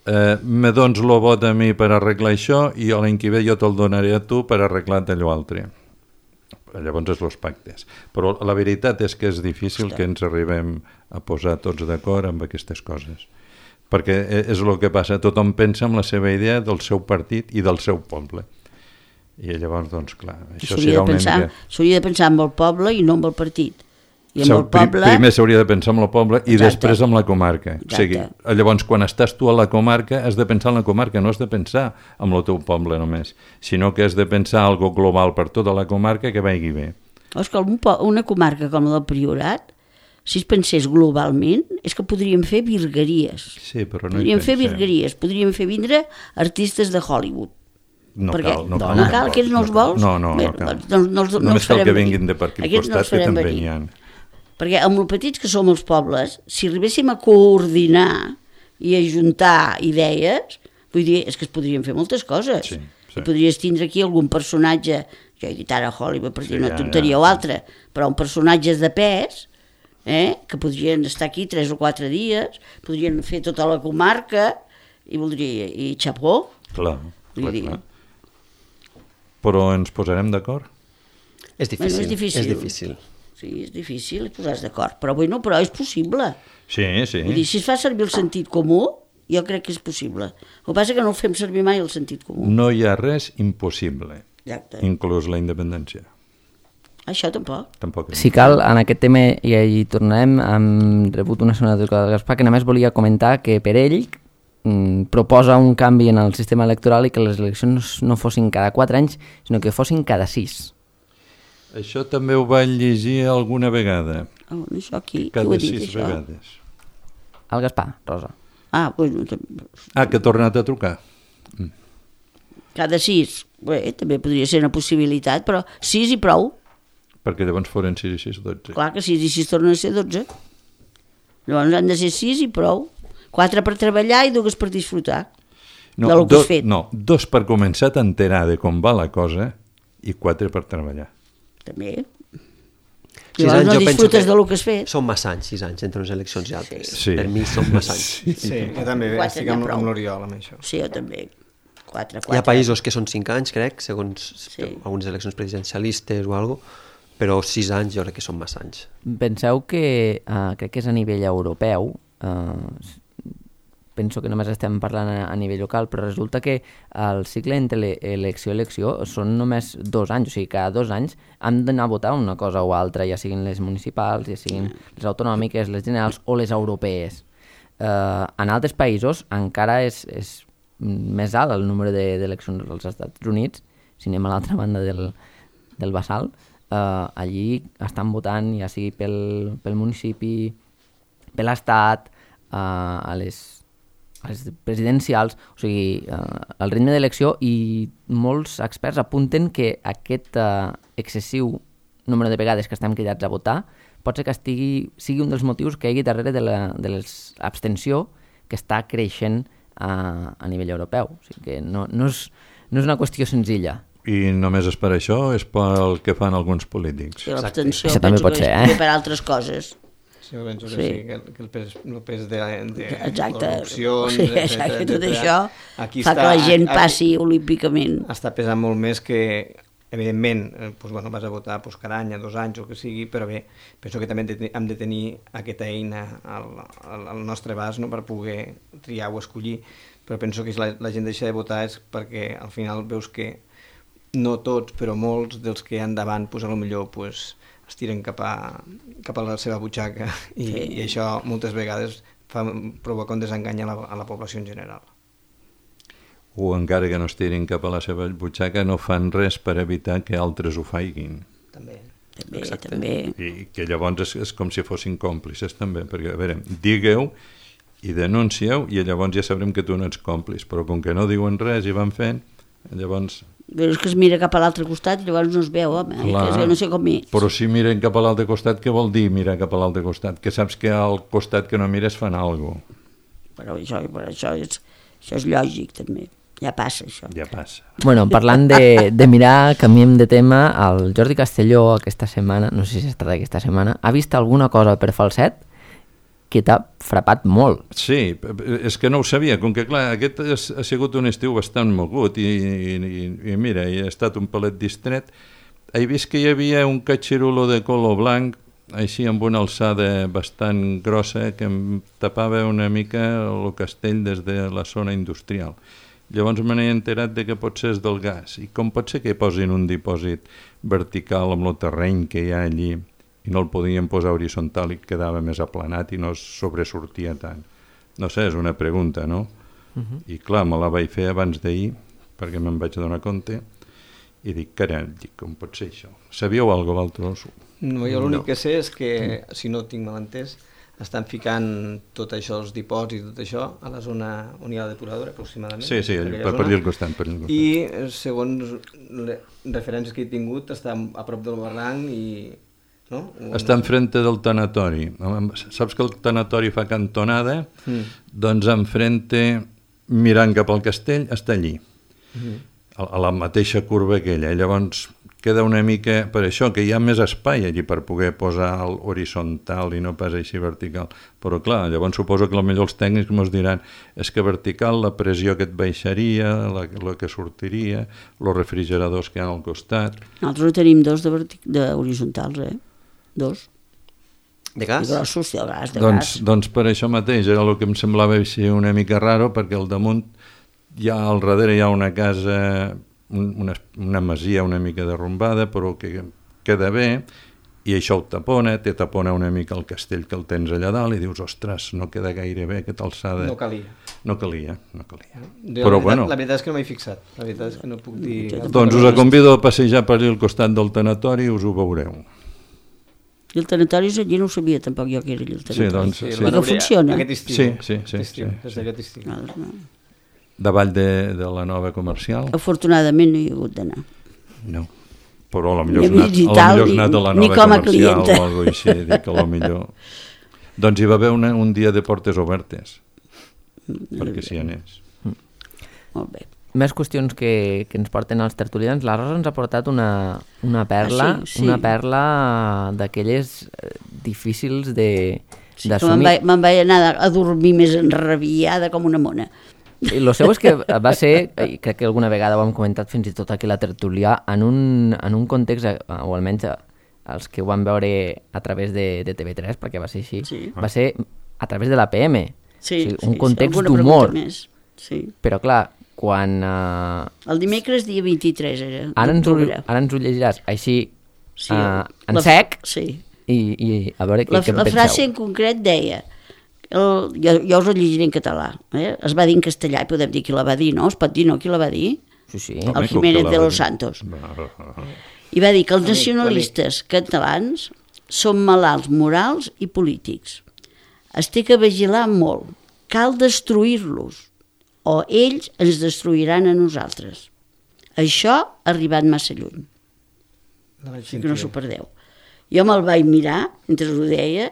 eh, me dons lo vot a mi per arreglar això i l'any que ve jo te'l donaré a tu per arreglar allò altre. Llavors és els pactes. Però la veritat és que és difícil que ens arribem a posar tots d'acord amb aquestes coses. Perquè és el que passa, tothom pensa en la seva idea del seu partit i del seu poble. I llavors, doncs, clar, això S'hauria serà de, una pensar, mica... s'hauria de pensar amb el poble i no amb el partit. I amb S'ha- el poble... Primer s'hauria de pensar en el poble i Exacte. després en la comarca. O sigui, Exacte. llavors, quan estàs tu a la comarca, has de pensar en la comarca, no has de pensar en el teu poble només, sinó que has de pensar algo global per tota la comarca que vagi bé. És que un po- una comarca com la del Priorat, si es pensés globalment, és que podríem fer virgueries. Sí, però no hi Podríem fer pensem. virgueries, podríem fer vindre artistes de Hollywood. No Perquè, cal, no no, cal. no cal, aquests no els vols? No, no, Bé, no cal. doncs no, no, els- no Només els cal farem que venir. vinguin de per aquí al Aquests no costat, els que farem també venir. n'hi ha. Perquè amb el petits que som els pobles, si arribéssim a coordinar i a juntar idees, vull dir, és que es podrien fer moltes coses. Sí, sí. I podries tindre aquí algun personatge, jo he dit ara Hollywood per dir Sí, una ja, tonteria ja. o altra, però un personatges de pes, eh, que podrien estar aquí tres o quatre dies, podrien fer tota la comarca, i voldria, i xapó, Clar, Vull clar, dir- clar. Però ens posarem d'acord? És difícil, Bueno, és difícil. és difícil. sí, és difícil posar-se d'acord, però bueno, però és possible. Sí, sí. Vull dir, si es fa servir el sentit comú, jo crec que és possible. El que passa és que no el fem servir mai el sentit comú. No hi ha res impossible, Exacte. inclús la independència. Això tampoc. Tampoc. Si cal, en aquest tema i hi tornarem, hem rebut una segona trucada del Gaspar que només volia comentar que per ell mm, proposa un canvi en el sistema electoral i que les eleccions no fossin cada quatre anys, sinó que fossin cada sis. Això també ho vaig llegir alguna vegada, Oh, això aquí, qui ho cada ha dit, sis això? vegades. El Gaspar, Rosa. Ah, bueno, tam- Ah, que ha tornat a trucar. cada sis. Bé, també podria ser una possibilitat, però sis i prou. Perquè llavors foren sis i sis, dotze. Clar que sis i sis tornen a ser dotze. Llavors han de ser sis i prou. Quatre per treballar i dues per disfrutar. No, de lo que do, has fet. no, dos per començar a t'enterar de com va la cosa i quatre per treballar. També. Sis Llavors anys no jo penso disfrutes que de lo que has fet. Són massa anys, sis anys, entre unes eleccions i altres. Sí. Per mi són massa anys. Sí, jo també Quatre estic n'hi ha amb, prou. amb l'Oriol, amb això. Sí, jo també. Quatre, quatre. Hi ha països que són cinc anys, crec, segons Sí. algunes eleccions presidencialistes o alguna cosa, però sis anys jo crec que són massa anys. Penseu que, uh, crec que és a nivell europeu, uh, penso que només estem parlant a, a nivell local, però resulta que el cicle entre le- elecció i elecció són només dos anys, o sigui, cada dos anys hem d'anar a votar una cosa o altra, ja siguin les municipals, ja siguin les autonòmiques, les generals o les europees. Uh, en altres països encara és, és més alt el número de- d'eleccions als Estats Units, si anem a l'altra banda del, del Bassal, uh, allí estan votant ja sigui pel, pel municipi, per l'estat, uh, a les a les presidencials, o sigui, eh, el ritme d'elecció, i molts experts apunten que aquest eh, excessiu número de vegades que estem cridats a votar pot ser que estigui, sigui un dels motius que hi hagi darrere de la de l'abstenció que està creixent a, a nivell europeu. O sigui que no, no, és, no és una qüestió senzilla. I només és per això, és pel que fan alguns polítics. Sí, l'abstenció Això també penso pot que ser, és eh? també per altres coses. Sí, jo penso que Sí. sí, que, el- que el pes, el pes de, de Exacte. corrupcions, Sí, etcètera, exacte. Tot etcètera, això aquí fa està- que la gent aquí- passi olímpicament. està pesant molt més que, evidentment, eh, doncs, bueno, vas a votar doncs, cada any, a dos anys, o el que sigui, però bé, penso que també hem de, hem de tenir aquesta eina al, al, al nostre abast, no?, per poder triar o escollir, però penso que si la, la gent deixa de votar és perquè al final veus que no tots, però molts dels que hi ha endavant, doncs, potser pues, es tiren cap a, cap a la seva butxaca i, Sí. i això moltes vegades fa, provoca un desengany a la, a la població en general. O encara que no es tirin cap a la seva butxaca, no fan res per evitar que altres ho faiguin. També. També, Exacte. també. I que llavors és, és com si fossin còmplices també, perquè, a veure, digueu i denuncieu i llavors ja sabrem que tu no ets còmplice, però com que no diuen res i van fent, llavors... Però és que es mira cap a l'altre costat i llavors no es veu, home, eh? Clar. Que és que no sé com és. Però si miren cap a l'altre costat, què vol dir mirar cap a l'altre costat? Que saps que al costat que no mires fan alguna cosa. Però això, però això, és, això és lògic, també. Ja passa, això. Ja passa. Bueno, parlant de, de mirar, canviem de tema, el Jordi Castelló aquesta setmana, no sé si ha estat aquesta setmana, ha vist alguna cosa per Falset que t'ha frapat molt. Sí, és que no ho sabia, com que clar, aquest ha sigut un estiu bastant mogut i, i, i mira, he estat un pelet distret. He vist que hi havia un catxirulo de color blanc, així amb una alçada bastant grossa, que em tapava una mica el castell des de la zona industrial. Llavors me n'he enterat de que potser és del gas. I com pot ser que posin un dipòsit vertical amb el terreny que hi ha allí i no el podien posar horitzontal i quedava més aplanat i no sobresortia tant? No sé, és una pregunta, no? Uh-huh. I clar, me la vaig fer abans d'ahir perquè me'n vaig donar compte i dic, caram, com pot ser això? Sabíeu alguna cosa, vosaltres? No, jo l'únic No. que sé és que, si no ho tinc mal entès, estan ficant tot això, els dipòsits i tot això, a la zona on hi ha la depuradora, aproximadament. Sí, sí, per aquella per, per zona. dir el costat. Per dir el costat. I, segons les referències que he tingut, està a prop del barranc i... No? Està enfrente del tanatori. Saps que el tanatori fa cantonada? Mm. Doncs enfrente, mirant cap al castell, està allí. Mm. A, a la mateixa curva aquella. Llavors queda una mica... Per això, que hi ha més espai allí per poder posar el horitzontal i no pas així vertical. Però clar, llavors suposo que potser els tècnics ens diran és que vertical la pressió que et baixaria, la, la que sortiria, els refrigeradors que hi ha al costat... Nosaltres en tenim dos de, vertic... de horitzontals, eh? Dos. De gas? De grossos, de gas, de Doncs, gas. doncs per això mateix, era el que em semblava així una mica raro, perquè al damunt, ja al darrere hi ha una casa, una, una masia una mica derrumbada, però que queda bé, i això ho tapona, te tapona una mica el castell que el tens allà dalt, i dius, ostres, no queda gaire bé aquesta alçada. No calia. No calia, no calia. Jo, Però la, veritat, bueno, la veritat és que no m'he fixat, la veritat és que no puc dir... doncs us convido a passejar per al costat del tanatori i us ho veureu. I el tanatori allí no ho sabia tampoc jo que era allà el tanatori. Sí, doncs, Sí, sí. el van Que obrir funciona. Aquest estiu. Sí, sí, sí, Aquest estiu, sí, des sí. d'aquest estiu. No, no. Davall de, de la nova comercial? Afortunadament no hi ha hagut d'anar. No. Però a lo millor Ni has anat, visitar, a lo millor has ni- anat a la ni nova com a comercial clienta. o alguna cosa així, dic, a lo millor... Doncs hi va haver una, un dia de portes obertes, perquè s'hi anés. Molt bé. Més qüestions que, que ens porten els tertulians. La Rosa ens ha portat una, una perla, Ah, sí, sí. una perla d'aquelles eh, difícils de Sí, que me'n d'assumir. vaig, me'n vaig anar a dormir més enrabiada com una mona. I el seu és que va ser, i crec que alguna vegada ho hem comentat fins i tot aquí a la tertúlia, en un, en un context, eh, o almenys els que ho van veure a través de, de T V tres, perquè va ser així, Sí. va ser a través de l'A P M. Sí, o sigui, un sí, context alguna d'humor. pregunta més. Sí. Però clar, quan... Eh, El dimecres, dia vint-i-tres, era. ara, ens ho, d'octubre. ara ens ho llegiràs així, Sí, eh, en la- sec, Sí. i, i a veure què, La, què en la penseu. frase en concret deia, el, jo, jo us la llegiré en català, eh? Es va dir en castellà i podem dir qui la va dir, no? Es pot dir, no? Qui la va dir? Sí, sí. Home, El com Jiménez que la de va los dir. Santos. Va, I va dir que els L'amic, nacionalistes catalans són malalts morals i polítics. Es té que vigilar molt. Cal destruir-los o ells ens destruiran a nosaltres. Això ha arribat massa lluny. La vaig Així que no sentir. s'ho perdeu. Jo me'l vaig mirar mentre ho deia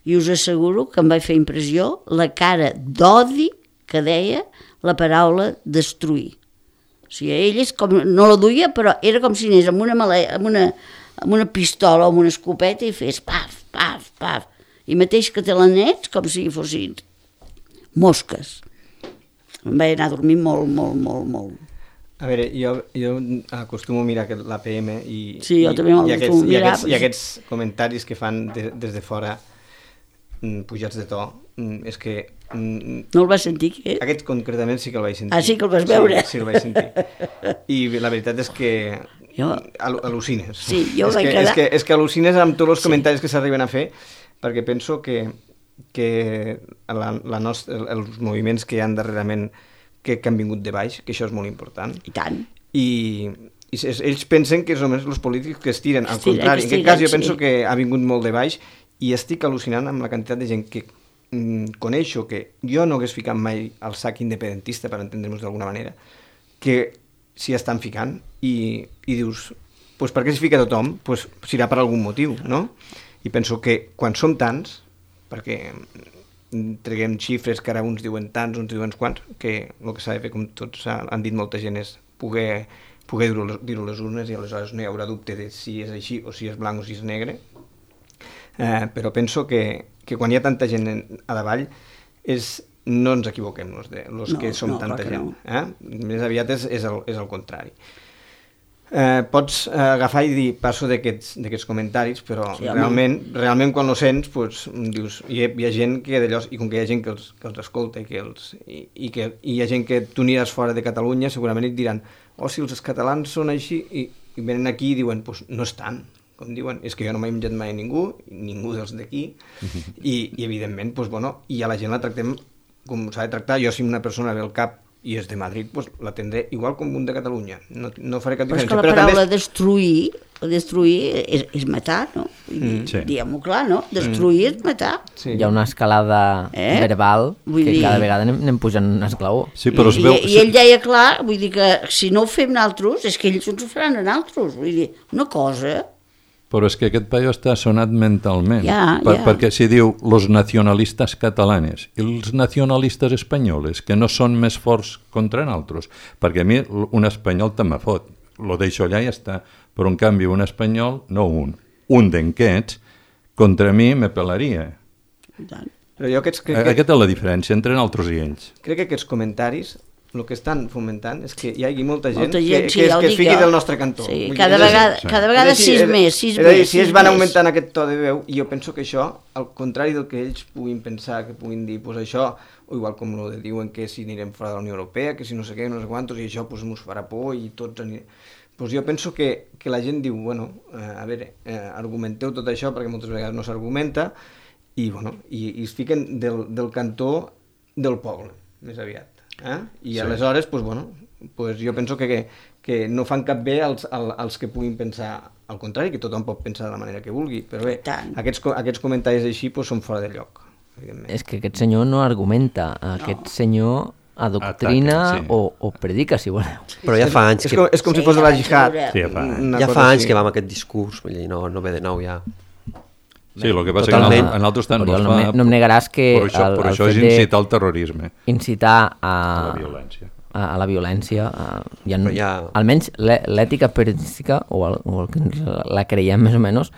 i us asseguro que em va fer impressió la cara d'odi que deia la paraula destruir. O sigui, ell és com, no la duia, però era com si anés amb una, male, amb una, amb una pistola o amb una escopeta i fes paf, paf, paf. I mateix que te l'anets com si fossin mosques. Em vaig anar a dormir molt, molt, molt, molt. A veure, jo, jo acostumo a mirar aquest- l'A P M i, Sí, jo i, també me'l i, aquests, acostumo a i, mirar, aquests, i però- aquests comentaris que fan de, des de fora mm, pujats de to, mm, és que mm, No el vas sentir, què? aquest concretament sí que el vaig sentir. Ah, sí que el vas veure? Sí, sí el vaig sentir. I la veritat és que Jo- al- al·lucines. Sí, jo és vaig que, quedar- És que, és que al·lucines amb tots els comentaris que s'arriben a fer, perquè penso que, que la, la nostra, els moviments que hi han darrerament que, que han vingut de baix, que això és molt important, I tant. i, i es- ells pensen que és només els polítics que es tiren, al Es tiren, contrari, que es en aquest cas jo tiren, penso sí. que ha vingut molt de baix i estic al·lucinant amb la quantitat de gent que mm, coneixo, que jo no hagués ficat mai al sac independentista, per entendre'ns d'alguna manera, que s'hi estan ficant i, i dius, pues per què s'hi fica tothom? Pues serà per algun motiu, no? I penso que quan som tants, perquè treguem xifres que ara uns diuen tants, uns diuen quants, que el que s'ha de fer, com tots han dit molta gent, és poder, poder dir-ho a les urnes i aleshores no hi haurà dubte de si és així o si és blanc o si és negre. Eh, però penso que, que quan hi ha tanta gent a davall és, no ens equivoquem los, de, los no, que som no, tanta gent. No. Eh? Més aviat és, és, el, és el contrari. Eh, pots eh, agafar i dir passo d'aquests comentaris, però sí, realment, realment quan ho sents pues, dius, hi, ha, hi ha gent que d'allò, i com que hi ha gent que els, que els escolta i, que els, i, i que i hi ha gent que tu aniràs fora de Catalunya, segurament et diran oh, si els catalans són així, i, i venen aquí i diuen pues, no estan, com diuen, és que jo no m'he menjat mai ningú, ningú dels d'aquí, i, i evidentment pues, bueno, i a la gent la tractem com s'ha de tractar. Jo si una persona ve al cap i és de Madrid, pues, la tindré igual com un de Catalunya. No, no faré cap diferència. Però és que la paraula però també... destruir, destruir és, és matar, no? Mm. Sí. Diguem-ho clar, no? Destruir mm. és matar. Sí. Hi ha una escalada eh? verbal vull que dir... cada vegada anem, anem pujant un esglaó. Sí, però es veu... I, I ell deia clar, vull dir que si no ho fem nosaltres, és que ells ens ho faran a nosaltres. Vull dir, una cosa... Però és que aquest paio està sonat mentalment, ja, per, ja. perquè si diu los nacionalistes catalanes i els nacionalistes espanyoles, que no són més forts contra nosaltres, perquè a mi un espanyol te me fot, lo deixo allà i ja està, però en canvi un espanyol, no un, un d'enquests, contra mi me pelaria. Però jo aquests, crec que... Aquesta és la diferència entre nosaltres i ells. Crec que aquests comentaris el que estan fomentant és que hi hagi molta gent, molta gent que, sí, que, es, que es fiqui jo. del nostre cantó. Sí, cada vegada, sí. cada vegada sí, sis és, més, sis és, és dir, més. si ells van augmentant aquest to de veu, i jo penso que això, al contrari del que ells puguin pensar, que puguin dir, pues això, o igual com lo de diuen que si anirem fora de la Unió Europea, que si no sé què, no sé quantos, i això pues, mos farà por i tots anirem... Pues jo penso que, que la gent diu, bueno, eh, a veure, eh, argumenteu tot això perquè moltes vegades no s'argumenta i, bueno, i, i es fiquen del, del cantó del poble, més aviat. Eh? I sí. Aleshores, pues, bueno, pues jo penso que, que, que no fan cap bé als, als que puguin pensar al contrari, que tothom pot pensar de la manera que vulgui, però bé, aquests, aquests comentaris així pues, són fora de lloc. És que aquest senyor no argumenta, aquest no. senyor adoctrina Ataca, sí. o, o predica, si voleu. Però ja fa anys que... És com, és com sí, si fos de la jihad. Sí, ja fa, ja fa anys que va amb aquest discurs, vull dir, no, no ve de nou ja. Sí, el que passa Totalment. que en altres tant no es fa... No em negaràs que... Per això, el, per això és incitar al terrorisme. Incitar a... A la violència. A, a la violència. A, ja, ja... Almenys l'ètica periodística, o, el, o el que la creiem més o menys,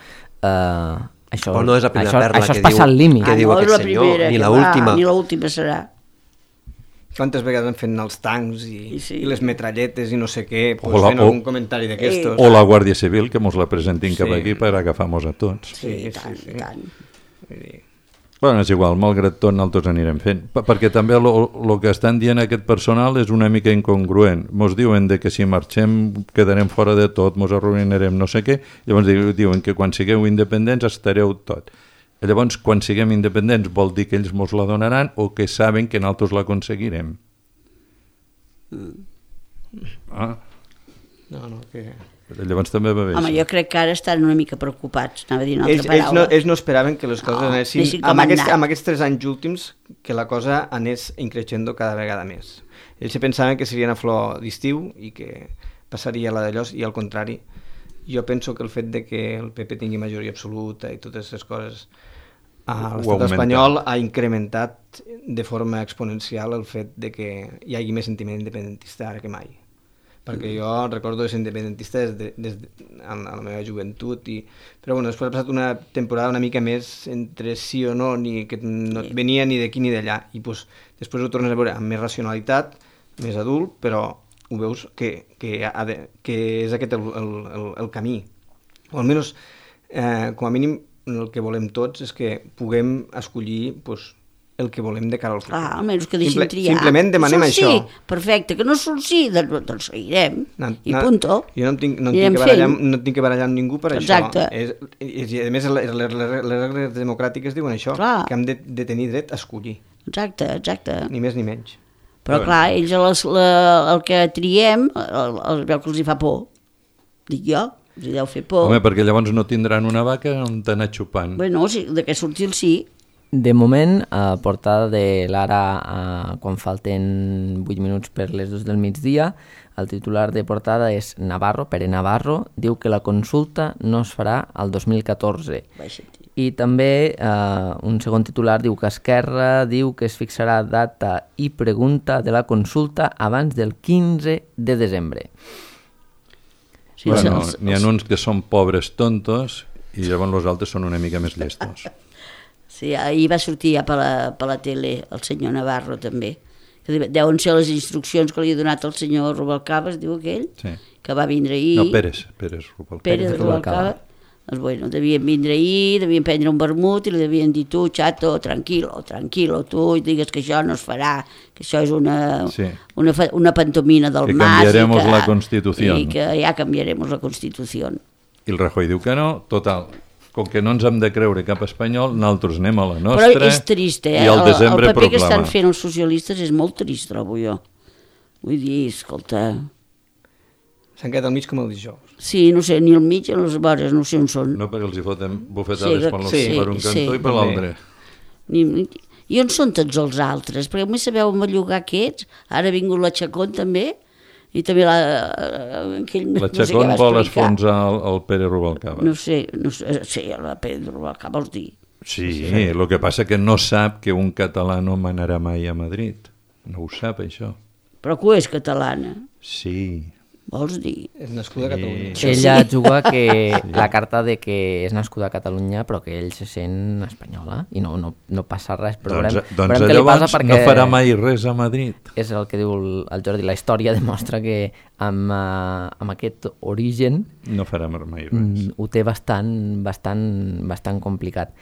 eh, això, no és la primera això, perla això que es passa diu, al límit. Que ah, diu no aquest és la senyor, primera, ni l'última. Ni l'última serà. Quantes vegades han fet els tancs i, I, sí. i les metralletes i no sé què, pues la, fent o, algun comentari d'aquestos. O la Guàrdia Civil, que mos la presentin cap sí. aquí per agafar-nos a tots. Sí, sí, tant, sí, sí. tant. Bueno, és igual, malgrat tot nosaltres anirem fent, perquè també el que estan dient aquest personal és una mica incongruent. Mos diuen de que si marxem quedarem fora de tot, mos arruïnarem no sé què, llavors diuen que quan sigueu independents estareu tot. Llavors, quan siguem independents vol dir que ells mos la donaran o que saben que nosaltres l'aconseguirem. Ah. No, no, que... Llavors també va bé. Home, jo crec que ara estan una mica preocupats, anava a dir una altra ells, paraula. Ells no, ells no esperaven que les coses no, anessin, amb aquests, amb aquests tres anys últims, que la cosa anés increixendo cada vegada més. Ells pensaven que serien a flor d'estiu i que passaria la d'allò, i al contrari. Jo penso que el fet de que el P P tingui majoria absoluta i totes aquestes coses a l'estat espanyol ha incrementat de forma exponencial el fet de que hi hagi més sentiment independentista ara que mai. Perquè jo recordo ser independentista des de, des de, en, en la meva joventut, i, però bueno, després ha passat una temporada una mica més entre sí o no, ni, que no et venia ni d'aquí ni d'allà, i pues, després ho tornes a veure amb més racionalitat, més adult, però ho veus que, que, ha de, que és aquest el, el, el, el camí. O almenys, eh, com a mínim, el que volem tots és que puguem escollir pues, el que volem de cara al futur. Ah, almenys que deixin Simple, triar. Simplement demanem això. això. Sí, perfecte, que no surt sí, doncs seguirem, no, i no, punto. Jo no em tinc, no em tinc, que, barallar, no em tinc que barallar amb ningú per Exacte. això. És, I a més, les, les, les regles democràtiques diuen això, clar. Que hem de, de tenir dret a escollir. Exacte, exacte. Ni més ni menys. Però, Però clar, ells les, la, el que triem, el, el veu que els hi fa por. Dic jo, els hi deu fer por. Home, perquè llavors no tindran una vaca on t'anar xupant. Bueno, sí, de què sortir el sí. De moment, a portada de l'Ara, quan falten vuit minuts per les dues del migdia, el titular de portada és Navarro, Pere Navarro, diu que la consulta no es farà al dos mil catorze. I també eh, un segon titular diu que Esquerra diu que es fixarà data i pregunta de la consulta abans del quinze de desembre. Sí, bueno, els, n'hi ha uns que són pobres tontos i llavors els altres són una mica més llestos. Sí, ahir va sortir ja per la, per la tele el senyor Navarro també, que deuen ser les instruccions que li ha donat el senyor Rubalcaba, es diu aquell, Sí. que va vindre ahir. No, Pérez, Pérez Rubalcaba. Pérez Rubalcaba. Doncs bueno, devien vindre ahir, devien prendre un vermut i li devien dir tu, xato, tranquilo, tranquilo, tu, i digues que això no es farà, que això és una, Sí. una, fa- una pantomina del Que mas. cambiaremos i que, la Constitución. I que ja canviaremos la Constitució. I el Rajoy diu que no, total. Com que no ens hem de creure cap espanyol, nosaltres anem a la nostra. Però és trist, eh? I al el, el desembre paper que estan proclama. fent els socialistes és molt trist, trobo jo. Vull dir, escolta... S'han quedat al mig com el dijous. Sí, no sé, ni al mig ni a les vores, no sé on són. No, perquè els hi foten bufetades Sí, per, sí, per un cantó sí. i per l'altre. Ni, ni, I on són tots els altres? Perquè només sabeu bellugar aquests, ara ha vingut la Chacón també, i també la... Aquell, La no sé Chacón què va vol explicar. esfonsar el, el Pere Rubalcaba. No sé, no sé, sí, la Pedro Rubalcaba vols dir. Sí, el que passa que no sap que un català no manarà mai a Madrid. No ho sap, això. Però que és catalana, Sí. vols dir? És nascuda a Catalunya. Sí. Ella juga que la carta de que és nascuda a Catalunya però que ell se sent espanyola i no, no, no passa res, però Doncs, veurem, doncs veurem què li llavors passa perquè no farà mai res a Madrid. és el que diu el, el Jordi, la història demostra que amb, uh, amb aquest origen No farà mai res. mm, ho té bastant, bastant, bastant complicat.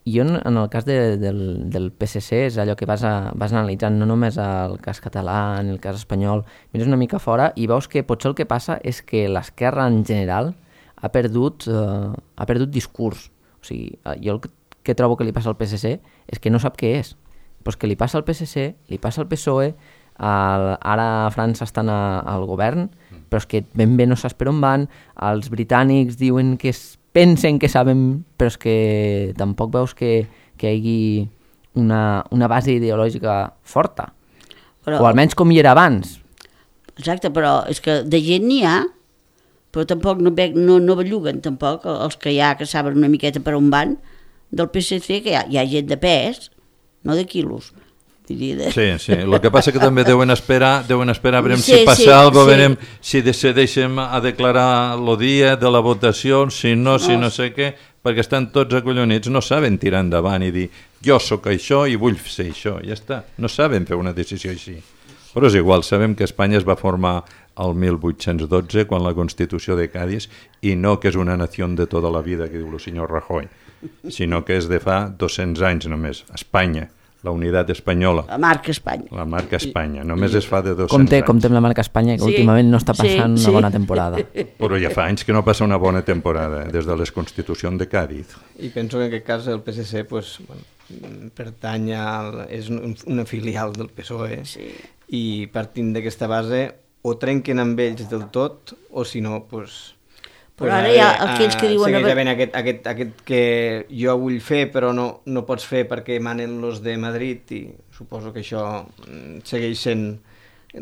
I jo, en el cas de, del, del P S C, és allò que vas, a, vas analitzant no només el cas català, ni el cas espanyol, mires una mica fora i veus que potser el que passa és que l'esquerra en general ha perdut, eh, ha perdut discurs. O sigui, eh, jo el que, que trobo que li passa al P S C és que no sap què és. Pues que li passa al P S C, li passa al P S O E, el, ara a França estan a, al govern, però és que ben bé no saps per on van, els britànics diuen que es pensen que saben, però és que tampoc veus que, que hi hagi una, una base ideològica forta. Però, O almenys com hi era abans. Exacte, però és que de gent n'hi ha, però tampoc no, ve- no, no belluguen tampoc els que hi ha, que saben una miqueta per on van, del P S C, que hi ha, hi ha gent de pes, no de quilos. Vull dir, de... Sí, sí. El que passa que també deuen esperar, deuen esperar a veure Sí, si passa sí, alguna cosa, sí. veurem si decideixen a declarar el dia de la votació, si no, si no sé què, perquè estan tots acollonits, no saben tirar endavant i dir jo sóc això i vull ser això, ja està. No saben fer una decisió així. Però és igual, sabem que Espanya es va formar el mil vuit-cents dotze, quan la Constitució de Cádiz, i no que és una nació de tota la vida, que diu el senyor Rajoy, sinó que és de fa dos-cents anys només, Espanya. La unitat espanyola, La marca Espanya. la marca Espanya, només es fa de dos-cents Compte, anys. compte amb la marca Espanya, que Sí, últimament no està passant sí, una sí. bona temporada. Però ja fa anys que no passa una bona temporada, des de les Constitucions de Cádiz. I penso que en aquest cas el P S C pues, bueno, pertany al, és un- una filial del P S O E Sí. i partint d'aquesta base o trenquen amb ells del tot o si no pues, Però ara hi ha aquells que diuen... segueix a veure- havent aquest, aquest, aquest que jo vull fer però no, no pots fer perquè manen los de Madrid i suposo que això mm, segueix sent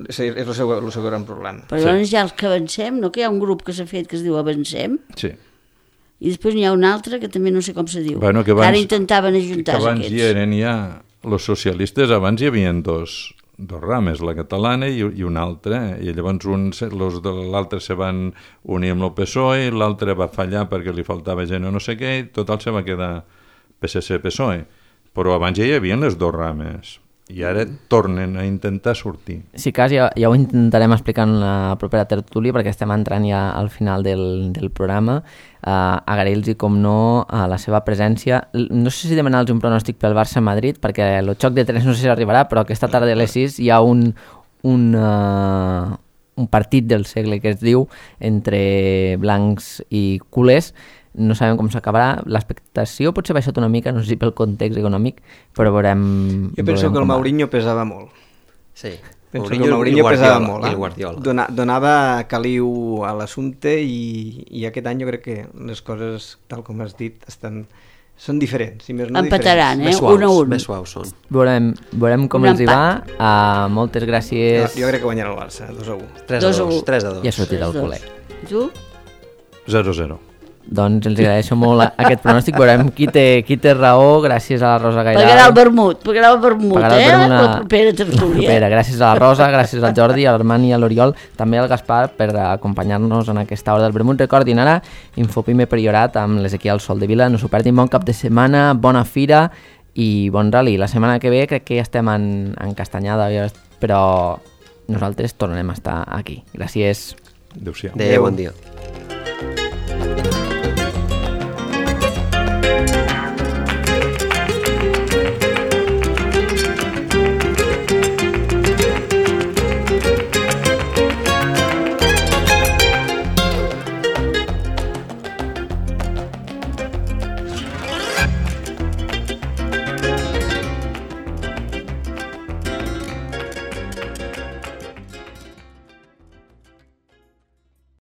és el seu, el seu gran problema. Però llavors ja els que avancem, no? Que hi ha un grup que s'ha fet que es diu Avancem, Sí. i després n'hi ha un altre que també no sé com se diu. Bueno, que abans- Ara intentaven Que ajuntar abans aquests. hi eren ja, els socialistes, abans hi havia dos, dos rames, la catalana i, i una altra, i llavors uns, los de l'altre se van unir amb el P S O E, l'altre va fallar perquè li faltava gent o no sé què, i total se va quedar P S C-P S O E. Però abans ja hi havia les dues rames, i ara tornen a intentar sortir. Si cas, ja, ja ho intentarem explicar en la propera tertúlia perquè estem entrant ja al final del, del programa. Uh, Agrair-los, com no, a la seva presència. L- No sé si demanar-los un pronòstic pel Barça-Madrid, perquè el xoc de tres no sé si arribarà, però aquesta tarda a les sis hi ha un, un, uh, un partit del segle que es diu entre blancs i culers. No sabem com s'acabarà. L'expectació potser ha baixat una mica, no sé si pel context econòmic, però veurem... Jo penso veurem que el com va. Mourinho pesava molt. Sí. Penso Mourinho que el Mourinho i pesava Guardiola, molt. i Eh? el Guardiola. Dona, donava caliu a l'assumpte i, i aquest any jo crec que les coses, tal com has dit, estan, són diferents. Si més no Empataran, diferents. eh? Més suaus, un a un. més suaus són. Veurem, veurem com Un els hi va. empat. Uh, moltes gràcies. Jo, jo crec que guanyarà el Barça, dos a un. tres a Dos a dos, u. tres a dos. Ja ha sortit el Dos. culer. I tu? zero a zero. Doncs els agraeixo molt aquest pronòstic. Veurem qui té, qui té raó, gràcies a la Rosa Gairal. Pagarà el vermut, pagarà el vermut, Pagarà el eh? vermut La a- propera tertúlia. propera. Gràcies a la Rosa, gràcies al Jordi, a l'Armand i a l'Oriol, també al Gaspar per acompanyar-nos en aquesta hora del vermut. Recordin ara, Infopime Priorat amb l'Ezequiel Soldevila. No s'ho perdin, bon cap de setmana, bona fira i bon rally. La setmana que ve crec que ja estem en, en Castanyada, però nosaltres tornarem a estar aquí. Gràcies. Adéu-siau. Adéu, bon dia.